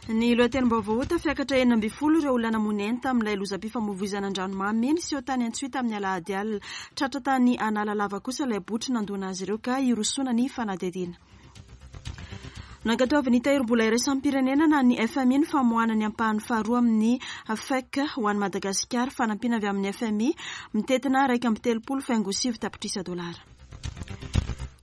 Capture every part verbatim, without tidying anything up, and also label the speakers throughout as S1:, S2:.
S1: Ny lohatenim-baovao: tafiakatra enina ambin'ny folo ireo olona namoy aina tamin'ilay lozam-pifamoivoizana an-dranomamy niseho tany Antsohihy tamin'ny alahady alina. Tratra tany Analalava kosa ilay botry nandona azy ireo ka hirosoana ny fanadihadiana. Nankatoavin'ny Tahirim-bola iraisam-pirenena na ny F M I ny famoahana ny ampahany faharoa amin'ny F E C ho an'i Madagasikara, fanampiana avy amin'ny F M I mitentina iraika amby telopolo faingo sivy tapitrisa dolara.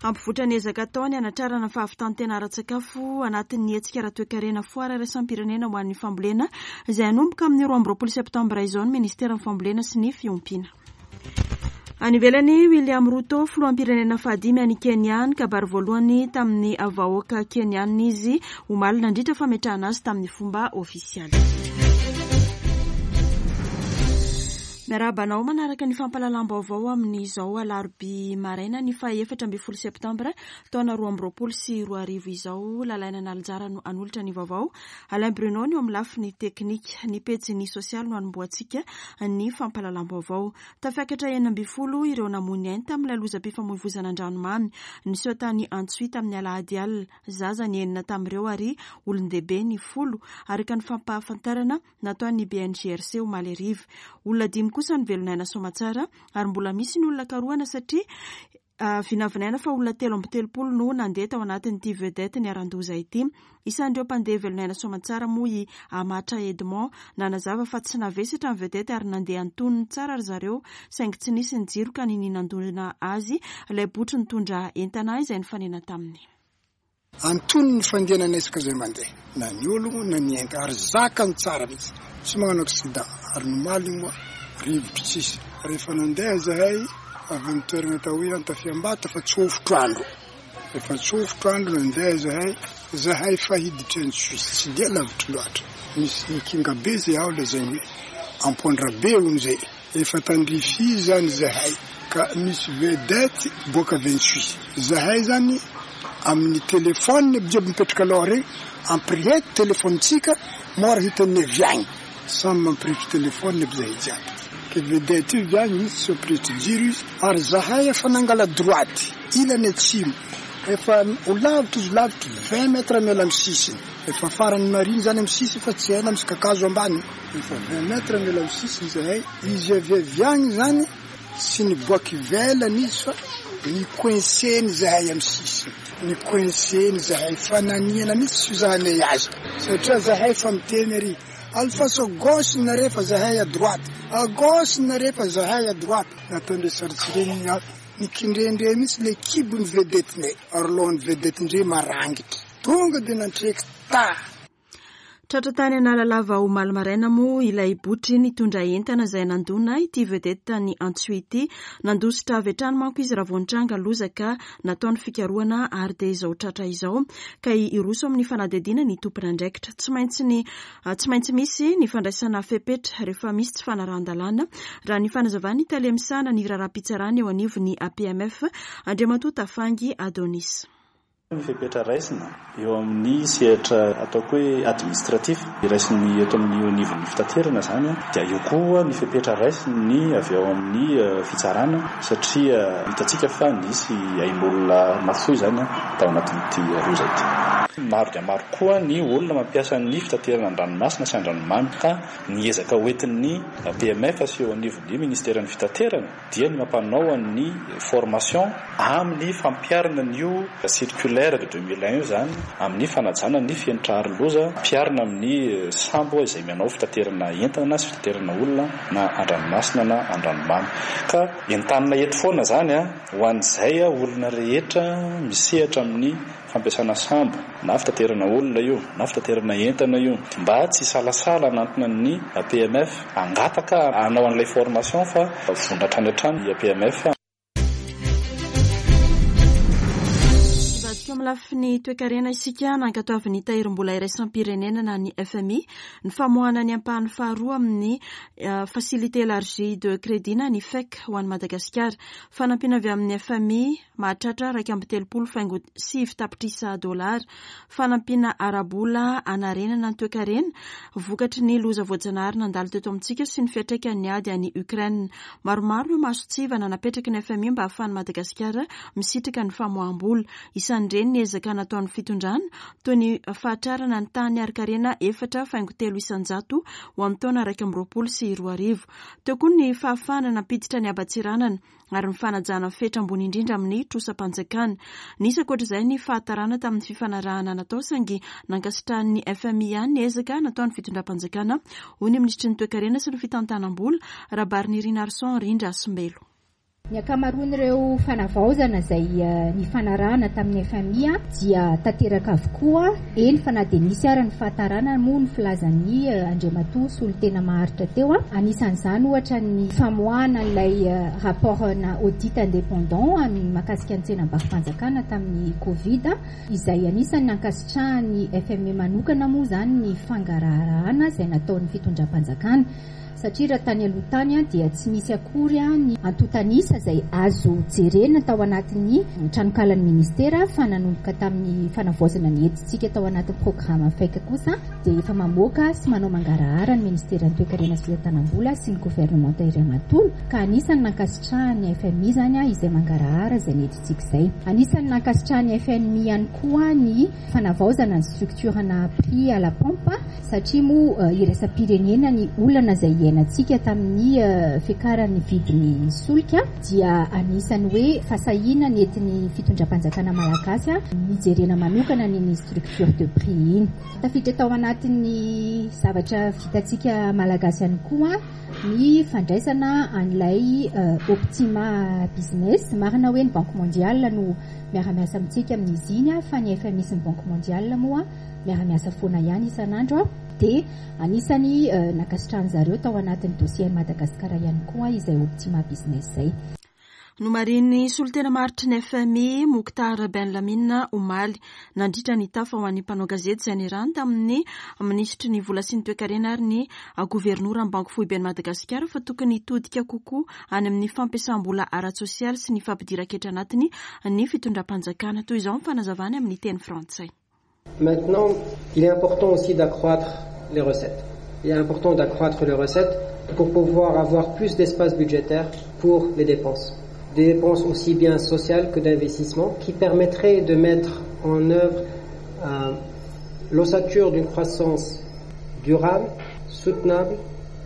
S1: Hampivoatra ny ezaka ataony hanatrarana fahavitantena ara-tsakafo anatin'ny hetsika ara-toekarena foara iraisam-pirenena ho an'ny fambolena izay hanomboka amin'ny roa amby roapolo septambra izao ny ministeran'ny Fambolena sy ny Fiompiana. Any ivelany, William Ruto, filoham-pirenena fahadimy any Kenya, nikabary voalohany tamin'ny vahoaka kenianina izy omaly nandritra fametrahana azy tamin'ny fomba ofisialy. Miarahaba anao manaraka ny fampahalalam-baovao amin'izao alarobia maraina ny faha efatra ambin'ny folo septambra taona roa amby roapolo sy roa arivo izao. Lalaina Nalinjara no hanolotra ny vaovao. Alain Bruno ny eo amin'ny lafiny teknika. Ny pejy sosialy no anombohantsika ny fampahalalam-baovao. Tafiakatra enina ambin'ny folo ireo namoy ny ainy tamin'ilay lozam-pifamoivoizana an-dranomamy niseho tany Antsohihy tamin'ny alahady alina. Zaza ny enina tamin'ireo ary olon-dehibe ny folo, araka ny fampahafantarana nataon'ny B N G R C omaly hariva. Olona dimy kosa ny velon'aina soamantsara ary mbola misy ny olona karohana satria vinavinaina fa olona telo amby telopolo no nandeha tao anatin'ity vedette niharan-doza ity. Isan'ireo mpandeha velon'aina soamantsara moa i Amatra Edmond, nanazava fa tsy navesatra ny vedette ary nandeha antonony tsara ry zareo, saingy tsy nisy ny jiro ka niniana nandona azy ilay botry nitondra entana izay nifanena taminy.
S2: Antonony ny fandehanana isaka zay mandeha, na ny ologno na ny enta, ary zakany tsara mihitsy, tsy magnano accident. Ary nomaly moa rivotro tsisy. Rehefa nandeha zahay avy amy toerana atao hoe Antafiambata, fa tsofotro andro, efa tsofotro andro nandeha zahay zahay fa hiditry Antsohihy, tsy dia lavitry loatra, misy kinga be zay ao lazainy hoe Ampondrabe ony zay. Efa tandrify zany zahay ka misy vedette boaka avy Antsohihy. Zahay zany amin'ny telefôny jiaby mipetraka aloha regny, ampirehety téléphone-tsika mora hitan'ny avy agny, samy mampirehitry téléphone aby zahay jiaby, ke vedette io avy agny izy tsy mampirehitry jiro izy. Ary zahay efa nangala droite ilany atsimo, efa ho lavitra izy, lavitra vingt mètres miala amy sisiny, efa farany mariny zany amy sisiny, fa tsy haina misy kakazo ambany, efa vingt mètres miala amy sisiny zahay. Izy avy avy agny zany tsy niboaky ivelany izy fa ni-coincé-ny zahay amy sisiny, ni-coincé-ny zahay, fa naniana mihitsy tsy fizahanay azy, satria zahay fa miteny ary alefaso gauche nare fa zahay à droite, à gauche nare fa zahay à droite. Nataondre saritsy regny nikindrendre mihitsy le kibony vedette-nay, ary lohan'ny vedette-ndre marangitry tonga de nantreky ta.
S1: Tratra tany Analalava omaly maraina moa ilay botry nitondra entana izay nandona ity vedette ny Antsohihy ity. Nandositra avy hatrany manko izy raha vao nitranga loza ka natao ny fikarohana ary dia izao tratra izao ka hiroso amin'ny fanadihadiana ny tompon'andraikitra. Tsy maintsy ny tsy maintsy misy ny fandraisana fepetra rehefa misy tsy fanarahan-dalàna, raha ny fanazavan'ny tale misahana ny raharaham-pitsarana eo anivon'ny A P M F, Andriamatoa Tafangy Adonis.
S3: Ny fepetra raisina eo amin'ny sehatra ataoko hoe administratif raisiny eto amin'ny anivon'ny fitaterana zany a, dia eo koa ny fepetra raisiny avy ao amin'ny fitsarana, satria hitantsika fa nisy ain'olona nafoy zany a tao anatin'ity loza ity. Maro dia maro koa ny olona mampiasa ny fitaterana an-dranomasina sy an-dranomamy, ka ny ezaka hoentin'ny A P M F sy eo anivon'ny ministeran'ny Fitaterana dia ny mampanao ny formation amin'ny fampiharana an'io circulaire de deux mille un io zany, amin'ny fanajana ny fenitra aro loza ampiharina amin'ny sambo izay manao fitaterana entana sy fitaterana olona na an-dranomasina na an-dranomamy. Ka entanina eto foana zany a ho an'izay a olona rehetra misehatra amin'ny fampiasana sambo, na fitaterana olona io na fitaterana entana io, mba tsy salasala hanantona ny A P M F angataka hanao an'ilay formation, fa vonona hatrany hatrany A P M F.
S1: Ivadika amin'ny lafiny toekarena isika. Nankatoavin'ny Tahirim-bola iraisam-pirenena na ny F M I ny famoahana ny ampahany faharoa amin'ny Facilité élargie de crédit na ny F E C ho an'i Madagasikara. Fanampiana avy amin'ny F M I mahatratra iraika amby telopolo faingo sivy tapitrisa dolara, fanampiana ara-bola anarenana ny toekarena vokatry ny loza voajanahary nandalo teto amintsika sy ny fiantraikan'ny ady any Ukraine. Maromaro no mason-tsivana napetraky ny F M I mba hahafahan'i Madagasikara misitraka ny famoaham-bola. Isan'ireny ny ezaka nataon'ny fitondrana toy ny fahatrarana ny tany arikarena efatra faingo telo isanjato ho amin'ny taona iraika amby roapolo sy roa arivo. Teo koa ny fahafahana nampiditra ny haban-tseranana ary ny fanajana fetra ambony indrindra amin'ny trosam-panjakana. Nisy ankoatr'izay ny fahatarana tamin'ny fifanarahana natao saingy nankasitrahan'ny F M I ihany ny ezaka nataon'ny fitondram-panjakana, hoy ny minisitry ny toekarena sy ny fitantanam-bola Rabarinirina Arson Rindrasombelo.
S4: Ny ankamaroan'ireo fanavaozana izay nifanarahana tamin'ny F M I dia tanteraka avokoa, eny fa na dia nisy ara ny fahatarana moa ny filazan'ny Andriamatoa solontena maharitra teo. Anisan'izany ohatra ny famoahana ilay rapport na audit indépendant mahakasika ny tsenam-barom-panjakana tamin'ny Covid, izay anisan'ny nankasitrahan'ny F M I manokana moa izany ny fangaraharahana izay nataon'ny fitondram-panjakana. Satria raha tany aloha tany dia tsy nisy akory ny antontanisa izay azo jerena tao anatin'ny tranokalan'ny ministera, fa nanomboka tamin'ny fanavaozana ny hetsika tao anatin'ny programme F E C kosa dia efa mamoaka sy manao mangarahara ny ministeran'ny toekarena sy fitantanam-bola sy ny governemanta iray manontolo, ka anisan'ny nankasitrahan'ny F M I izany izay mangarahara izay ny hetsika izay. Anisan'ny nankasitrahan'ny F M I ihany koa ny fanavaozana ny structure-na prix à la pompe, satria moa iraisam-pirenena ny olana izay iainantsika tamin'ny fiakaran'ny vidin'ny solika, dia anisan'ny hoe fahasahiana nentin'ny fitondram-panjakana malagasy nijerena manokana ny structure de prix iny. Tafiditra tao anatin'ny zavatra vitantsika malagasy ihany koa ny fandraisana an'ilay Optima Business. Marina hoe ny Banque Mondiale no miara-miasa amintsika amin'izy iny, fa ny F M I sy ny Banque Mondiale moa miara-miasa foana ihany isan'andro. Dia anisany nankasitrahan zareo tao anatin'ny dossier Madagasikara ihany koa izay Optima Business izay.
S1: Nomarihin'ny solontena maharitry ny F M I Mokhtar Ben Lamine omaly nandritra ny tafa ho an'ny mpanao gazety izay nirany tamin'ny minisitry ny vola sy ny toekarena ary ny governoran'ny Banky Foiben'i Madagasikara fa tokony hitodika kokoa any amin'ny fampiasam-bola ara-tsosialy sy ny fampidiran-ketra anatiny ny fitondram-panjakana. Toy izao ny fanazavany amin'ny teny frantsay.
S5: Maintenant, il est important aussi d'accroître les recettes. Il est important d'accroître les recettes pour pouvoir avoir plus d'espace budgétaire pour les dépenses. Des dépenses aussi bien sociales que d'investissement qui permettraient de mettre en œuvre euh, l'ossature d'une croissance durable, soutenable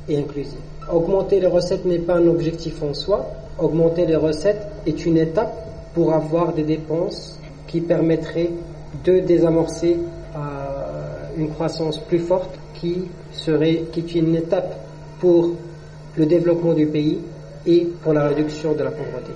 S5: et inclusive. Augmenter les recettes n'est pas un objectif en soi. Augmenter les recettes est une étape pour avoir des dépenses qui permettraient de désamorcer euh, une croissance plus forte qui serait, qui est une étape pour le développement du pays et pour la réduction de la pauvreté.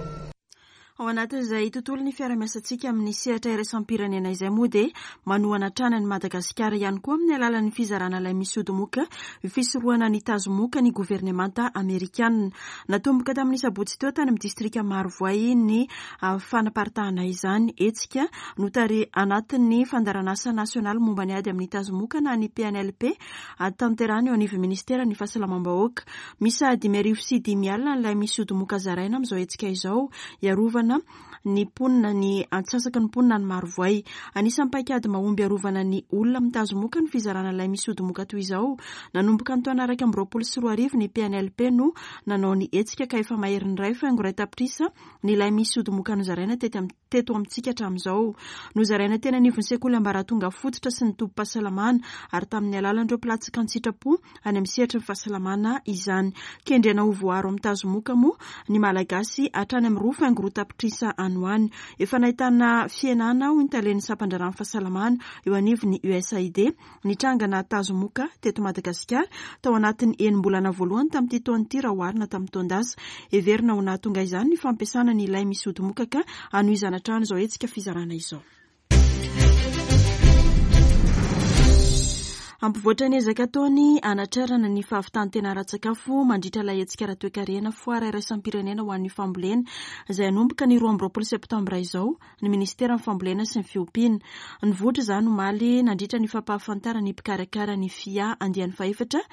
S1: Ao anatin'izay tontolo ny fiarahamiasantsika amin'ny sehatra iraisam-pirenena izay moa dia manohana hatrany an'i Madagasikara ihany koa amin'ny alalan'ny fizarana ilay misy odimoka fisorohana ny tazomoka ny governemanta amerikanina. Natomboka tamin'ny sabotsy teo tany amin'ny distrika Marovoay ny fanaparitahana izany hetsika notari anatin'ny fandaharanasa nasionaly momba ny ady amin'ny tazomoka na ny P N L P tanterahana eo anivon'ny ministeran'ny fahasalamam-bahoaka. Misy dimy arivo sy dimy alina ilay misy odimoka zaraina amin'izao hetsika izao hiarovana ny mponina ny antsasaky ny mponina ny Marovoay. Anisan'ny paikady mahomby arovana ny olona mitazomoka ny fizarana ilay misy odimoka toy izao. Nanomboka ny taona iraika amby roapolo sy roa arivo ny P N L P no nanao ny hetsika ka efa maherin'ny iray faingo iray tapitrisa ny ilay misy odimoka nozaraina tety am-, teto amintsika hatramin'izao. Nozaraina teny anivon'ny sekoly ambaratonga fototra sy ny tobim-pahasalamana ary tamin'ny alalan'ireo mpilatsaka an-tsitrapo any amin'ny sehatry ny fahasalamana izany. Kendrena ho voaro amin'ny tazomoka moa ny Malagasy hatrany amin'ny roa faingo roa tapitrisa any ho any. Efa nahitana fihenana hoy ny talen'ny sampan-draharahan'ny fahasalamana eo anivon'ny U S A I D nitrangana tazomoka teto Madagasikara tao anatin'ny enim-bolana voalohany tamin'ity taona ity raha oharina tamin'ny taon-dasa. Heverina ho nahatonga izany ny fampiasana ny ilay misy odimoka ka hanohizana hatrany izao hetsika fizarana izao. Hampivoatra ny ezaka ataony hanatrarana ny fahavitan-tena ara-tsakafo mandritra ilay hetsika ara-toekarena foara iraisam-pirenena ho an'ny fambolena izay hanomboka ny roa amby roapolo septambra izao ny ministeran'ny fambolena sy ny fiompiana. Nivoatra izany omaly nandritra ny fampahafantarana ny mpikarakara ny F I A andiany fahefatra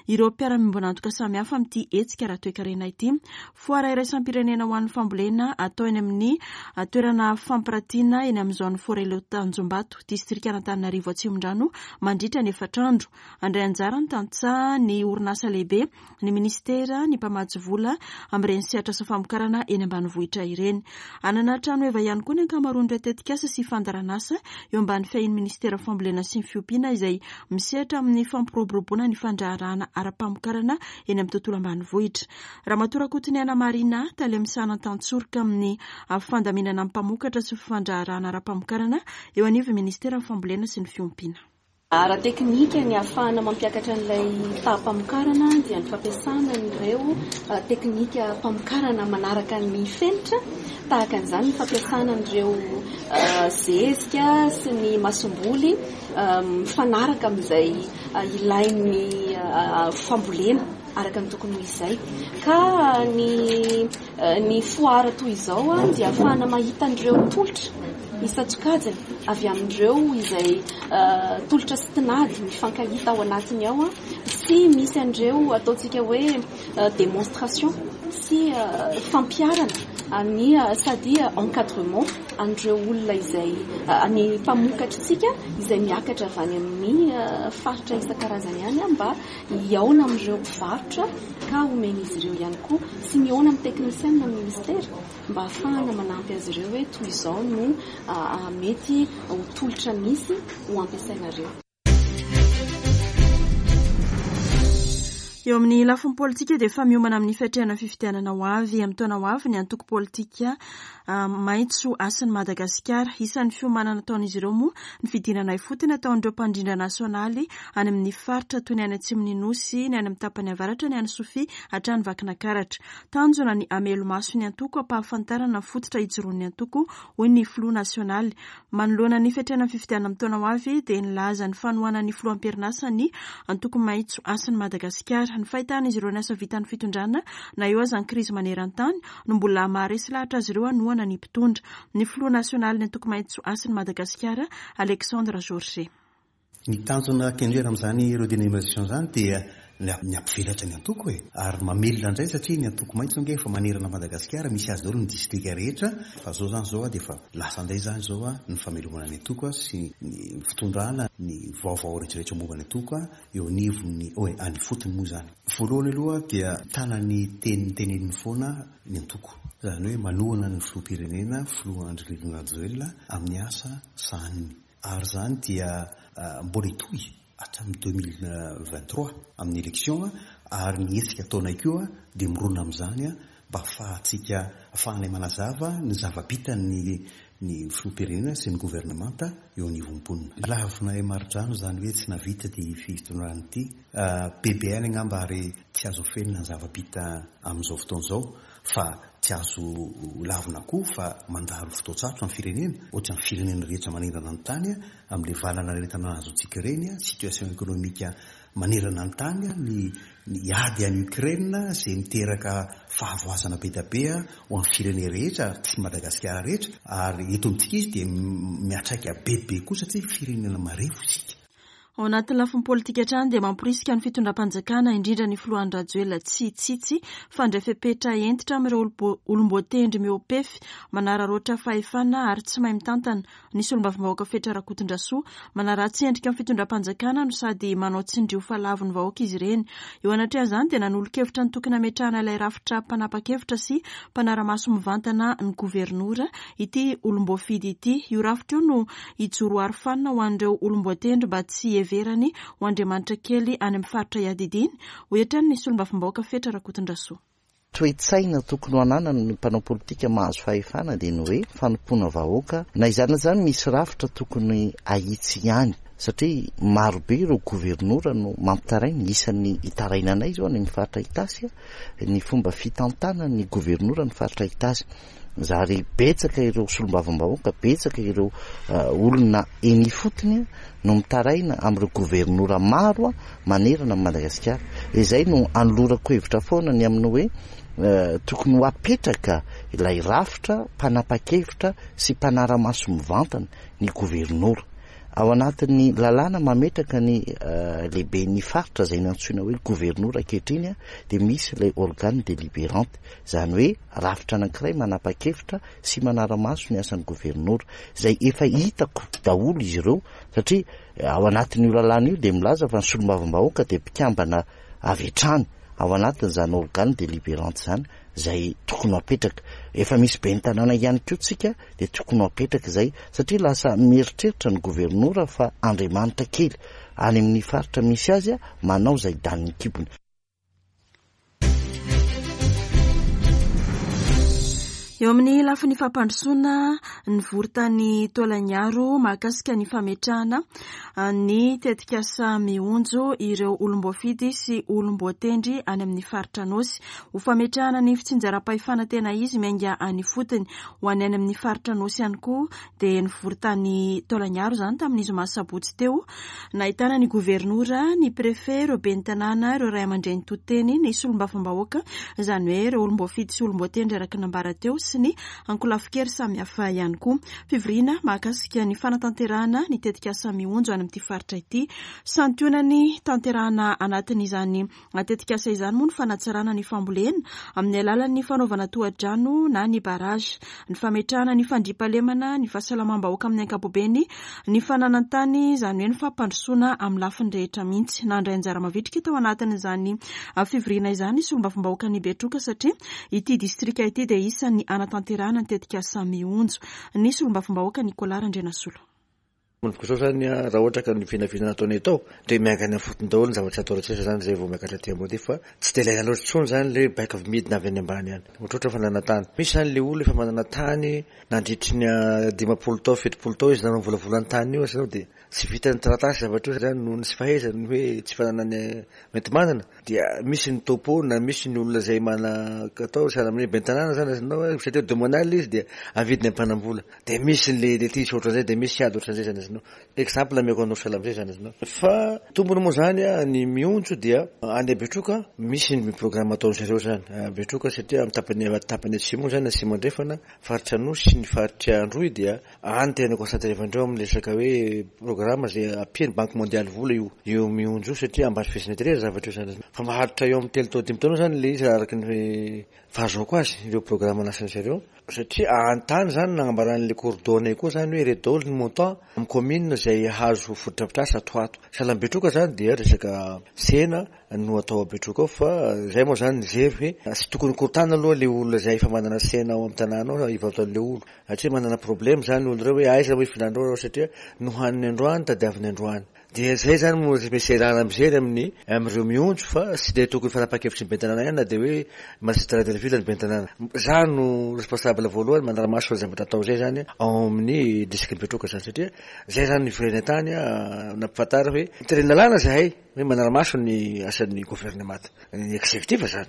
S1: ireo mpiara-miombon'antoka samihafa amin'ity hetsika ara-toekarena ity. Foara iraisam-pirenena ho an'ny fambolena atao eny amin'ny toerana fampiratiana eny amin'ny zone Forello Tanjombato, distrikan'Antananarivo Atsimondrano mandritra ny efatra andro. tolakandro. Andray anjara ny tantsaha, ny orinasa lehibe, ny ministera, ny mpamatsy vola amin'ireny sehatra sy famokarana eny ambanivohitra ireny. Hanana trano heva ihany koa ny ankamaroan'ireo tetikasa sy fandaharanasa eo ambany fiahian'ny ministera fambolena sy ny fiompiana izay misehatra amin'ny fampiroboroboana ny fandraharahana ara-pamokarana eny amin'ny tontolo ambanivohitra. Ramatoa Rakotoniaina Marina, tale misahana tantsoroka amin'ny fandaminana mpamokatra sy fandraharahana ara-pamokarana eo anivon'ny ministera fambolena sy ny fiompiana.
S6: Ara-teknika ny ahafahana mampiakatra an'ilay taha-pamokarana dia ny fampiasana an'ireo teknika mpamokarana manaraka ny fenitra, tahaka an'izany ny fampiasana an'ireo zezika sy ny masomboly mifanaraka amin'izay ilain'ny fambolena araka ny tokony ho izay. Ka ny ny foara toy izao dia ahafahana mahita an'ireo tolotra isan-tsokajiny avy amin'ireo izay tolotra sy tinady mifankahita ao anatiny ao, sy misy an'ireo ataontsika hoe démonstration sy fampiharana ny sady encadrement an'ireo olona izay ny mpamokatritsika izay miakatra avy any amin'ny faritra isan-karazany ihany mba hihaona amin'ireo mpivarotra ka omen'izy ireo ihany koa sy mihaona amin'ny teknisianina amin'ny ministera mba ahafahana manampy azy ireo hoe toy izao no mety ho tolotra misy ho ampiasainareo.
S1: Eo amin'ny lafiny politika dia efa miomana amin'ny fiatrehana fifidianana ho avy amin'ny taona ho avy ny antoko politika Maitso Hasin'i Madagasikara. Isan'ny fiomanana ataon'izy ireo moa ny fidinana ifotony ataon'ireo mpandrindra nasionaly any amin'ny faritra toy ny any atsimon'ny Nosy, ny any amin'ny tapany avaratra, ny any Sofia hatrany Vakinakaratra. Tanjona ny hamelomaso ny antoko hampahafantarana ny fototra ijoroan'ny antoko, hoy ny filoha nasionaly. Manoloana ny fiatrehana fifidianana amin'ny taona ho avy dia nilaza ny fanohanan'ny filoha am-perinasa ny antoko Maitso Hasin'i Madagasikara. Ny fahitana izy ireo ny asa vitan'ny fitondrana na eo aza ny krizy maneran-tany no mbola maharesy lahatra azy ireo hanohana ny mpitondra. Ny filoha nasionaly ny antoko Maitso Hasin'i Madagasikara, Alexandre Georget.
S7: Ny tanjona kendrena amin'izany redynamisation izany dia ny hampivelatra ny antoko e, ary mamelona indray satria ny antoko maitso ange efa manerana Madagasikara, misy azy daholo ny distrika rehetra, fa zao zany zao dia efa lasa indray zany zao ny famelomana ny antoko sy ny fitondrana ny vaovao rehetrarehetra momba ny antoko eo anivon'ny oe any fotony moa zany. Voalohany aloha dia tanany teny teneniny foana ny antoko, zany hoe manohana ny filoham-pirenena filoha Andry Nirina Rajoelina amin'ny asa sahaniny, ary zany dia mbola hitohy hatramin'ny deux mille vingt-trois amin'ny élection, ary ny hetsika ataonay koa dia mirona amin'izany mba ahafahantsika ahafahanay manazava ny zava-bitan'ny ny filoham-pirenena sy ny governemanta eo anivon'ny mponina. Lavinay marodrano izany hoe tsy navita ty fitondrana ity, bebe ihany angamba ary tsy azo afenina ny zava-bita amin'izao fotoana izao, fa tsy azo lavina koa fa mandalo fotoan-tsarotra ny firenena, ohatran'ny firenena rehetra manerana ny tany amin'ilay valanaretina azontsika ireny, situation économique manerana ny tany, ny ny ady any Ukraine izay miteraka fahavoazana be dia be ho an'ny firenena rehetra ary tsy Madagasikara rehetra, ary eto amintsika izy dia miantraika bebe koa satria firenena marefo isika.
S1: Ao anatin'ny lafiny politika hatrany dia mamporisika ny fitondram-panjakana indrindra ny filoha Andry Rajoelina tsy hitsitsy fandray fepetra hentitra amin'ireo olom-boatendry mihoa-pefy manararaotra fahefana ary tsy mahay mitantana. Ny solombavambahoaka Fetra Rakotondrasoa manaratsy endrika amin'ny fitondram-panjakana no sady manao tsindrio fa lavo ny vahoaka izy ireny. Eo anatrehan'izany dia nanolo-kevitra ny tokony hametrahana ilay rafitra mpanapa-kevitra sy mpanara-maso mivantana ny governora ity olom-boafidy ity. Io rafitra io no hijoro arofanina ho an'ireo olom-boatendry mba tsy heverany ho andriamanitra kely any amin'ny faritra iadidiany, hoy hatrany ny solombavambahoaka Fetra Rakotondrasoa.
S8: Toe-tsaina tokony ho ananany ny mpanao politika mahazo fahefana dia ny hoe fanompoana vahoaka. Na izany na izany misy rafitra tokony ahitsy ihany, satria marobe ireo governora no mampitaraina. Isan'ny hitarainanay izao any amin'ny faritra Itasy ny fomba fitantanana ny governora ny faritra Itasy. Zary betsaka ireo solombavambahoaka, betsaka ireo olona eny ifotony no mitaraina amin'ireo governora maro manerana Madagasikara. Izay no anolorako hevitra foana ny amin'ny hoe tokony ho apetraka ilay rafitra mpanapa-kevitra sy mpanara-maso mivantana ny governora. Ao anatin'ny lalàna mametraka ny lehiben'ny faritra izay nantsoina hoe governora ankehitriny dia misy ilay organe délibérante, izany hoe rafitra anankiray manapa-kevitra sy manara-maso ny asan'ny governora, izay efa hitako daholo izy ireo, satria ao anatin'io lalàna io dia milaza fa ny solombavambahoaka dia mpikambana avy hatrany ao anatin'izany organe délibérante izany, izay tokony ho apetraka. Efa misy ben'ny tanàna ihany koa tsika dia tokony ho apetraka izay, satria lasa mieritreritra ny governora fa Andriamanitra kely any amin'ny faritra misy azy manao izay danin'ny kibony.
S1: Eo amin'ny lafiny fampandrosoana, nivory tany Taolagnaro mahakasika ny fametrahana ny tetikasa mionjo ireo olom-boafidy sy olom-boatendry any amin'ny faritra Anôsy. Ho fametrahana ny fitsinjaram-pahefana tena izy miainga any ifotony ho any any amin'ny faritra Anôsy ihany koa dia nivory tany Taolagnaro izany tamin'ny zoma sabotsy teo. Nahitana ny governora, ny préfet, ireo ben'ny tanàna, ireo ray aman-dreny toteny, ny solombavambahoaka, izany hoe ireo olom-boafidy sy olom-boatendry araka ny nambara teo, sy ny ankolafikery samihafa ihany koa. Fivoriana mahakasika ny fanatanterahana ny tetikasa mionjo any amin'ity faritra ity. Santionany tanterahana anatin'izany tetikasa izany moa ny fanatsarana ny fambolena amin'ny alalan'ny fanaovana tohadrano na ny barrage, ny fametrahana ny fandriampahalemana, ny fahasalamam-bahoaka amin'ny ankapobeny, ny fananan-tany, izany hoe ny fampandrosoana amin'ny lafiny rehetra mihitsy. Nandray anjara mavitrika tao anatin'izany fivoriana izany solombavambahoaka ny Betroka, satria ity distrika ity dia isan'ny anatanterahana ny tetikasa mionjo. Ny solombavambahoaka Nicolas Randrianasolo.
S9: Manomboka izao zany raha ohatra ka ny vinavina nataonay tao dia miankina fotony daholo ny zavatra atao rehetra zany izay vao miakatra aty ambony fa tsy dia ilaina loatra intsony zany le baiko avy midina avy any ambany any. Ohatrohatra fananantany. Misy zany le olona efa manana tany nandritry ny dimampolo tao, fitopolo tao izy nanao volavolan-tany io zany dia tsy vitan'ny taratasy zavatra io zany noho ny tsy fahaizany hoe tsy fananany mety manana dia misy ny topo na misy ny olona izay mana-katao sahala amin'ny ben'ny tanàna zany azonao hoe satria domonal izy dia avidiny ampanam-bola dia misy ny litige ohatran'izay dia misy ady ohatran'izay zany azonao. Exemple ameko anao sahala amin'izay zany azonao. Fa tombony moa zany ny mionjo dia any Betroka misy ny programme ataon'ny zareo zany Betroka satria amin'ny tapany tapany atsimo zany atsimo andrefana faritra Anosy sy ny faritra Androy dia any tena concentré-vandreo amin'ny resaka hoe programme izay ampian'ny Banque mondiale vola io io mionjo satria ambany fehezina tery zavatra io zany fa maharitra eo amin'ny telo tao dimy taona zany le izy araka ny fahazoako azy ireo programme nasan'ny zareo satria antany zany nagnambaran'le coordonnées koa zany hoe ireto daholo ny montant amin'ny commune izay hazo fotodrafitrasa ato ato. Sahala amin'ny Betroka zany dia resaka tsena no atao a Betroka ao fa zay moa zany nijery hoe tsy tokony korontana aloha le olona izay efa manana tsena ao amin'ny tanàna ao hivarotan'le olo satria manana problème zany olona ireo hoe aiza hoe filandreo satria nohaniny androany tadiaviny androany. Dia zay zany moa misy erana mijery amin'ny amin'ireo mionjo fa tsy dia tokony fanapa-kevitry ny ben'ny tanàna ihany na dia hoe magistrat de la ville ny ben'ny tanàna. Za no responsable voalohany manara-maso zavatra atao zay zany ao amin'ny district Betroka zany satria zay zany niverina tany nampifantara hoe tereny lalàna zahay hoe manara-maso ny asan'ny gouvernement ny exécutif zany.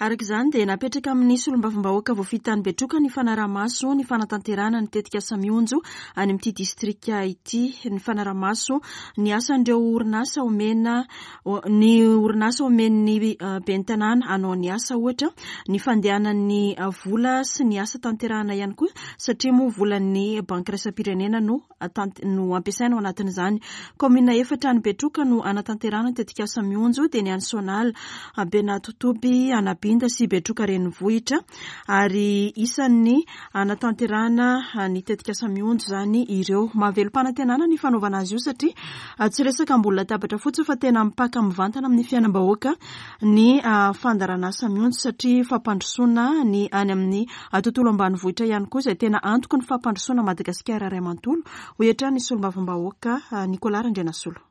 S1: Araka izany dia napetraka amin'ny solombavambahoaka voafidy tany Betroka ny fanarahamaso ny fanatanterahana ny tetikasa mionjo any amin'ity distrika ity, ny fanarahamaso ny asan'ireo orinasa omena ny orinasa omen'ny ben'ny tanàna hanao ny asa ohatra, ny fandehanan'ny vola sy ny asa tanterahana ihany koa satria moa volan'ny banky iraisam-pirenena no no ampiasaina ao anatin'izany. Kaominina efatra any Betroka no anatanterahana ny tetikasa mionjo dia ny any Sonala, Benatotoby, Anabinda sy Betroka renivohitra ary isan'ny anatanterahana ny tetikasa mionjo izany ireo. Mahavelom-panantenana ny fanaovana azy io satria tsy resaka ambony latabatra fotsiny fa tena mipaka mivantana amin'ny fiainam-bahoaka ny fandaharanasa mionjo satria fampandrosoana ny any amin'ny tontolo ambanivohitra ihany koa izay tena antoky ny fampandrosoana Madagasikara iray manontolo. Hoy hatrany ny solombavambahoaka Nicolas Randrianasolo.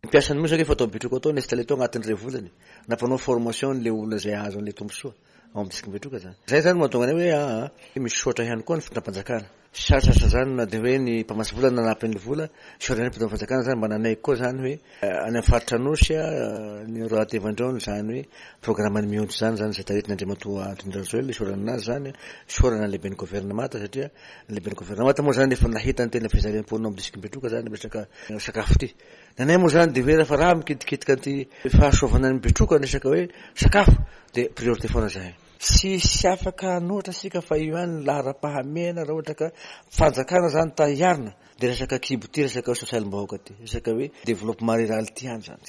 S9: Mpiasan'ny moa zany efa atao Betroka atao ny installé tao anatin'ny iray volana nampanao formation le olona izay ahazo an'ilay tombontsoa ao amin'ny district Betroka zany. Zay zany mahatonga anay hoe aa misy sotra ihany koa ny fitondram-panjakana. Sarotra zany na dia hoe ny mpamatsy vola nanampy ny vola, sotra ny fitondram-panjakana zany mba nanaiky koa zany hoe any amin'ny faritra Anosy ny roatevandreo zany hoe programme ny mionjo zany zany izay taritin'Andriamatoa Andry Rajoelina isorana anazy zany isorana ny lehiben'ny gouvernement satria ny lehiben'ny gouvernement moa zany efa nahita ny tena fijaliam-ponina amin'ny district Betroka zany resaka sakafo ity. Nanay moa zany dia hoe rehefa raha mikitikitika an'ity fahasoavana ny Betroka resaka hoe sakafo dia priorité foana zahay. Tsisy afaka hanohitra isika fa io ihany ny laharam-pahamehana raha ohatra ka fanjakana zany ta hiarina dia resaka kibo ty, resaka sosialim-bahoaka ty, resaka hoe développement rural ty ihany zany.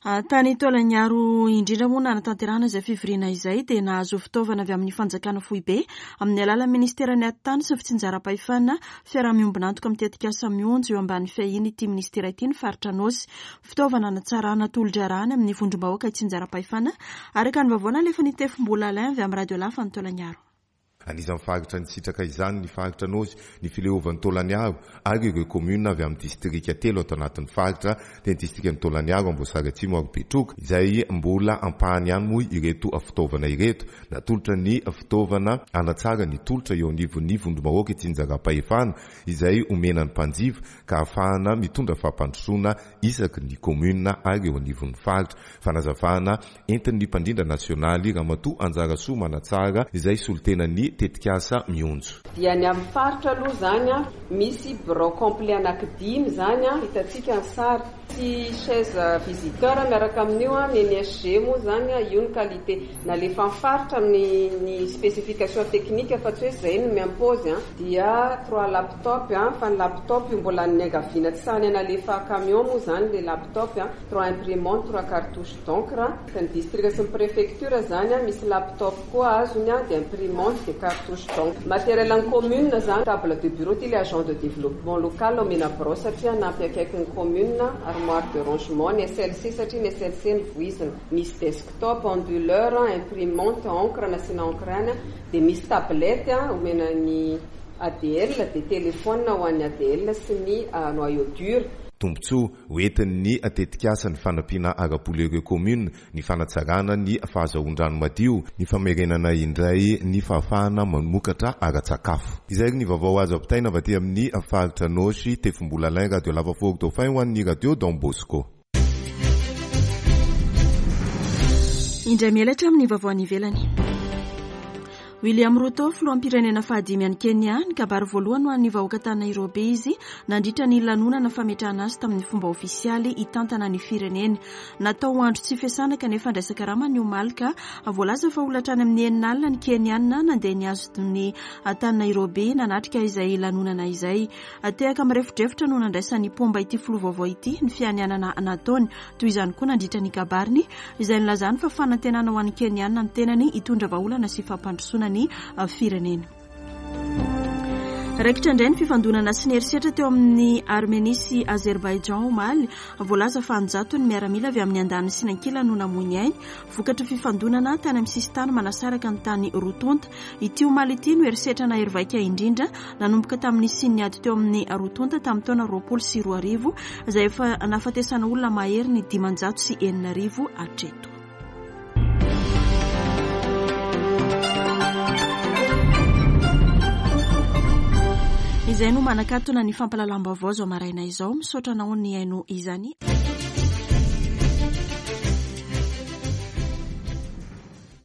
S1: Tany Taolagnaro indrindra moa nanatanterahana izay fivoriana izay dia nahazo fitaovana avy amin'ny fanjakana foibe amin'ny alalan'ny ministeran'ny atitany sy ny fitsinjaram-pahefana fiaraha-miombon'antoka amin'ny tetikasa mionjo eo ambany fiahiana ity ministera ity ny faritra Anôsy. Fitaovana hanatsarana tolo-draharaha amin'ny vondrom-bahoaka itsinjaram-pahefana araka ny vaovao nalefan'ny Tefimbola Alain avy amin'ny Radio Lafa ny Taolagnaro.
S10: Anisan'ny faritra nisitraka izany ny faritra Anôsy, ny fileovan'ny Taolagnaro ary ireo commune avy amin'ny distrika telo ato anatin'ny faritra, dia ny distrikan'ny Taolagnaro, Amboasary Atsimo ary Betroka, izay mbola ampahany ihany moa ireto fitaovana ireto. Natolotra ny fitaovana hanatsara ny tolotra eo anivon'ny vondrom-bahoaka itsinjaram-pahefana izay omena ny mpanjifa ka ahafahana mitondra fampandrosoana isaky ny commune ary eo anivon'ny faritra. Fanazavana entin'ny mpandrindra nasionaly Ramatoa Anjarasoa Manatsara izay solontenan'ny tetikasa mionjo.
S11: Dia ny amin'ny faritra aloha zany a, misy bureau complet anankidimy zany a, hitantsika ny sary. Sy chaise visiteur miaraka amin'io a, ny N S G moa zany a, io ny qualité. Nalefa amin'ny faritra ny, ny spécification technique fa tsy hoe zay no mi-impose a. Dia trois laptop a, fa ny laptop io mbola niangaviana tsy sahy nalefa camion moa zany le laptop a, trois imprimantes, trois cartouches d'encre. Ny district sy ny préfecture zany a, misy laptop koa azony a, dia imprimante, dia cartouche d'encre. Matériel en commune zany, table de bureau ty le agent de développement local omena birao satria hanampy akaiky ny commune, armoire de rangement, ny S L C satria ny S L C ny voizina. Misy desktop, onduleur, imprimante, encre, nasiana encre any, dia misy tablette omena ny A D L, dia téléphone ho an'ny A D L sy ny noyau dur.
S10: Tombontsoa hoentin'ny tetikasa ny fanampiana ara-bola ireo commune, ny fanatsarana ny fahazahoan-drano madio, ny famerenana indray ny fahafahana mamokatra ara-tsakafo. Izay ny vaovao azo ampitaina avy aty amin'ny faritra Anôsy, Tefimbola Alain, Radio Lava Fort Dauphin ho an'ny Radio Don Bosco.
S1: Indray mielatra amin'ny vaovao any ivelany. William Ruto, filoham-pirenena fahadimy any Kenya, nikabary voalohany ho an'ny vahoaka tany Nairobi izy nandritra ny lanonana fametrahana azy tamin'ny fomba ofisialy hitantana ny firenena. Natao ho andro tsy fiasana kanefa andraisan-karama ny omaly ka voalaza fa olona hatrany amin'ny enina alina ny Kenyana nandeha nihazo ny tany Nairobi nanatrika izay lanonana izay. Tehaka mirefodrefotra no nandraisan'ny mpomba ity filoha vaovao ity ny fianianana nataony. Toy izany koa nandritra ny kabariny izay nilazany fa fanantenana ho an'ny Kenyana ny tenany hitondra vahaolana sy fampandrosoana ny firenena. Raikitra indray ny fifandonana sy ny herisetra teo amin'ny Armenia sy Azerbaijan omaly. Voalaza fa anjato ny miaramila avy amin'ny andaniny sy ny ankilany no namoy ny ainy vokatry fifandonana tany amin'ny sisintany manasaraka ny tany roa tonta. Ity omaly ity no herisetra nahery vaika indrindra nanomboka tamin'ny nisian'ny ady teo amin'ny roa tonta tamin'ny taona roapolo sy roa arivo izay efa nahafatesana olona mahery ny dimanjato sy enina arivo hatreto. Izay no manakatona ny fampahalalam-baovao izao maraina izao. Misaotra anao ny haino izany.